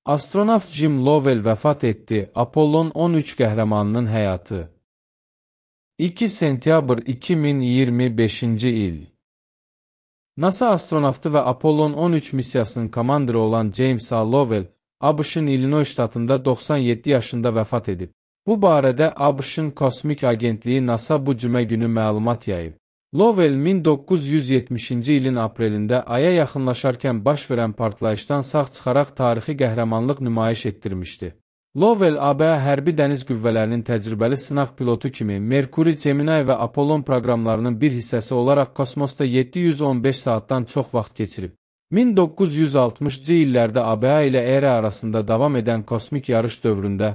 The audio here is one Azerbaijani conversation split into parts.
Astronavt Jim Lovell vəfat etdi. Apollon 13 qəhrəmanının həyatı. 2 sentyabr 2025-ci il. NASA astronavtı və Apollon 13 missiyasının komandiri olan James A. Lovell, ABŞ-ın Illinois ştatında 97 yaşında vəfat edib. Bu barədə ABŞ-ın Kosmik Agentliyi NASA bu cümə günü məlumat yayıb. Lovell 1970-ci ilin aprelində Aya yaxınlaşarkən baş verən partlayışdan sağ çıxaraq tarixi qəhrəmanlıq nümayiş etdirmişdi. Lovell ABŞ hərbi dəniz qüvvələrinin təcrübəli sınaq pilotu kimi Merkuri, Gemini və Apollon proqramlarının bir hissəsi olaraq kosmosda 715 saatdan çox vaxt keçirib. 1960-cı illərdə ABŞ ilə ERA arasında davam edən kosmik yarış dövründə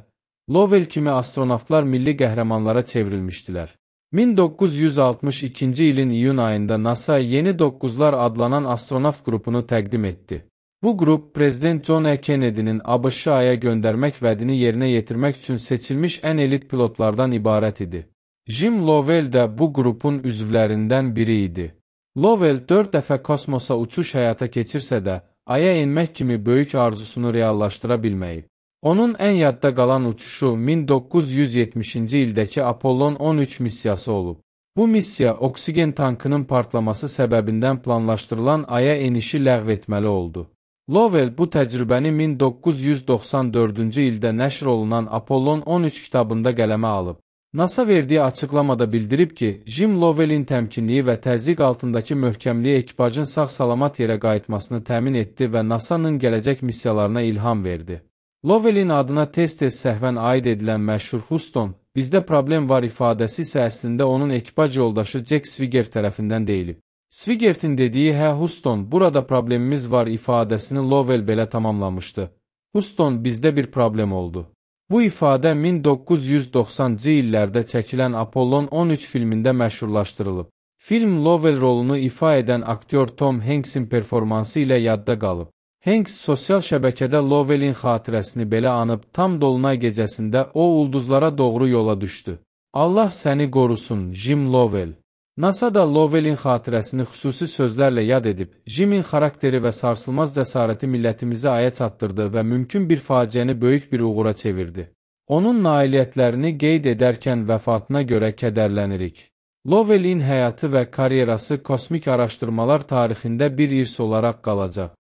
Lovell kimi astronavtlar milli qəhrəmanlara çevrilmişdilər. 1962-ci ilin iyun ayında NASA Yeni Doqquzlar adlanan astronavt qrupunu təqdim etdi. Bu qrup, Prezident John F. Kennedy'nin ABŞ-ı Aya göndərmək vədini yerinə yetirmək üçün seçilmiş ən elit pilotlardan ibarət idi. Jim Lovell də bu qrupun üzvlərindən biri idi. Lovell 4 dəfə kosmosa uçuş həyata keçirsə də, Aya enmək kimi böyük arzusunu reallaşdıra bilməyib. Onun ən yadda qalan uçuşu 1970-ci ildəki Apollon 13 missiyası olub. Bu missiya oksigen tankının partlaması səbəbindən planlaşdırılan Aya enişi ləğv etməli oldu. Lovell bu təcrübəni 1994-cü ildə nəşr olunan Apollon 13 kitabında qələmə alıb. NASA verdiyi açıqlamada bildirib ki, Jim Lovellin təmkinliyi və təzyiq altındakı möhkəmliyi ekipajın sağ-salamat yerə qayıtmasını təmin etdi və NASA-nın gələcək missiyalarına ilham verdi. Lovellin adına tez-tez səhvən aid edilən məşhur Houston, bizdə problem var ifadəsi isə əslində onun ekipaj yoldaşı Jack Swigert tərəfindən deyilib. Swigertin dediyi "Hə Houston, burada problemimiz var" ifadəsini Lovell belə tamamlamışdı. Houston, bizdə bir problem oldu. Bu ifadə 1990-cı illərdə çəkilən Apollon 13 filmində məşhurlaşdırılıb. Film Lovell rolunu ifa edən aktyor Tom Hanks'in performansı ilə yadda qalıb. Hanks sosial şəbəkədə Lovellin xatirəsini belə anıb, tam dolunay gecəsində o ulduzlara doğru yola düşdü. Allah səni qorusun, Jim Lovell. NASA da Lovellin xatirəsini xüsusi sözlərlə yad edib, Jimin xarakteri və sarsılmaz cəsarəti millətimizi Aya çatdırdı və mümkün bir faciəni böyük bir uğura çevirdi. Onun nailiyyətlərini qeyd edərkən vəfatına görə kədərlənirik. Lovellin həyatı və karyerası kosmik araşdırmalar tarixində bir irs olaraq qalacaq.